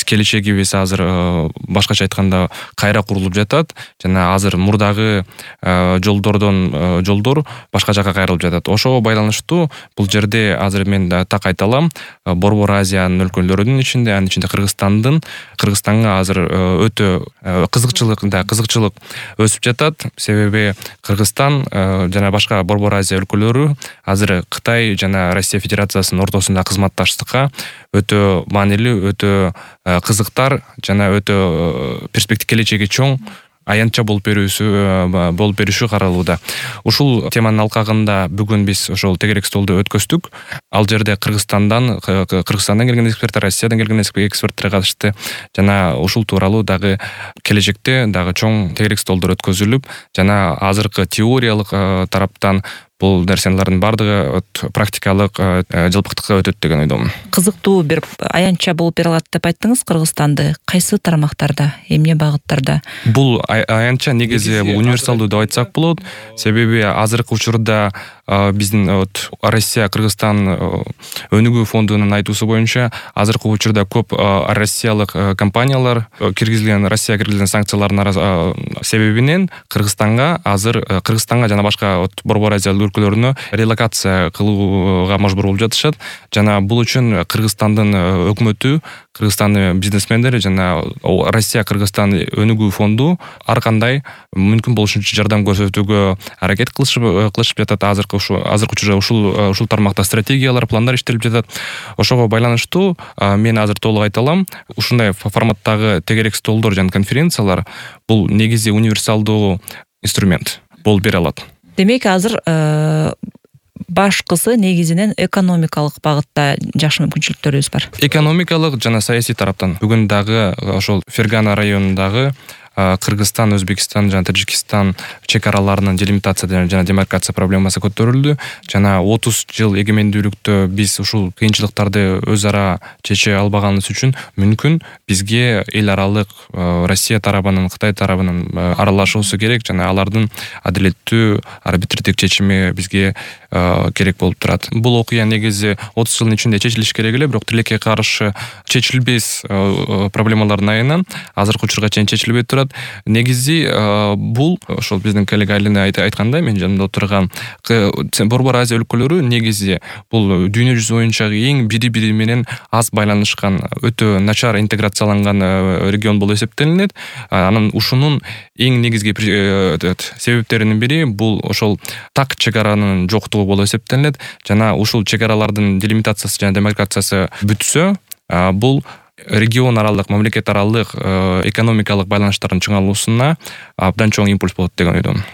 келечегибиз азыр башкача айтканда кайра курулуп жатат жана азыр мурдагы жолдор башка жака кайрылып жатат. Ошого байланыштуу бул жерде азыр мен так айта алам, Борбор Азиянын өлкөлөрүнүн ичинде, анын ичинде Кыргызстанга азыр өтө кызыкчылык өсүп жатат. Себеби Кыргызстан жана башка Борбор Азия өлкөлөрү азыр Кытай жана Россия Федерациясынын ортосунда кызматташтыкка өтө маанилүү, өтө кызыктар жана өтө келечеги чоң аянтча болуп бериши каралууда. Ушул теманын алкагында бүгүн биз ошол тегерек столду өткөздүк. Ал жерде Кыргызстандан келген эксперттер, Россиядан келген эксперттер катышты жана ушул тууралуу дагы келечекте дагы чоң тегерек столдор өткөзүлүп, жана азыркы теориялык тараптан бул нерселердин бардыгы практикалык жалпактыкка өтөт деген ойдомун. Кызыктуу бир аянтча болуп бере алат деп айттыңыз Кыргызстанды. Кайсы тармактарда, эмне багыттарда? Бул аянтча негизи универсалдуу деп айтсак болот. Себеби азыркы учурда биздин Россия Кыргызстан өнүгүү фондунун айтуусу боюнча азыркы учурда көп россиялык компаниялар Россия киргизилген санкциялардын себебинен Кыргызстанга жана башка Борбор Азия өлкөлөрүнө релокация кылууга мажбур болуп жатышат. Жана бул үчүн Кыргызстандын өкмөтү, Кыргызстандын бизнесмендери жана Россия Кыргызстан өнүгүү фонду ар кандай мүмкүн болушунча жардам көрсөтүүгө аракет кылышып жатат. Азыркы учурда ушул тармакта стратегиялар, пландар иштелип жатат. Ошого байланыштуу мен азыр толук айта алам. Ушундай форматтагы тегерек столдор жана конференциялар бул негизи универсалдуу инструмент болуп бере алат. Демек азыр башкысы негизинен экономикалык багытта жакшы мүмкүнчүлүктөрүбүз бар. Экономикалык жана саясий тараптан бүгүн дагы ошол Фергана районундагы Кыргызстан, Өзбекстан жана Таджикистан чек араларынын делимитация жана демаркация проблемасы көтөрүлдү. Жана 30 жыл эгемендүүлүктө биз ушул кыйынчылыктарды өз ара чече албаганыбыз үчүн мүмкүн бизге эл аралык Россия тарабынын, Кытай тарабынын аралашуусу керек жана алардын адилеттүү арбитрдик чечими бизге керек болуп турат. Бул окуя негизи 30 жылдын ичинде чечилиш керек эле, бирок тилекке каршы чечилбес проблемалардын айынан азыркы учурга чейин чечилбей турат. Негизи бул ошол биздин коллега Айлина айткандай, мен жанымда отурган Борбор Азия өлкөлөрү негизи бул дүйнө жүзү боюнча эң бири-бири менен аз байланышкан, өтө начар интеграцияланган регион болуп эсептелинет. Анын ушунун эң негизги себептеринин бири бул ошол так чек аранын жоктугу болуп эсептелинет. Жана ушул чек аралардын делимитациясы жана демаркациясы бүтсө, бул регион аралык, мамлекет аралык экономикалык байланыштардын чыңалуусуна абдан чоң импульс болот деген ойдомун.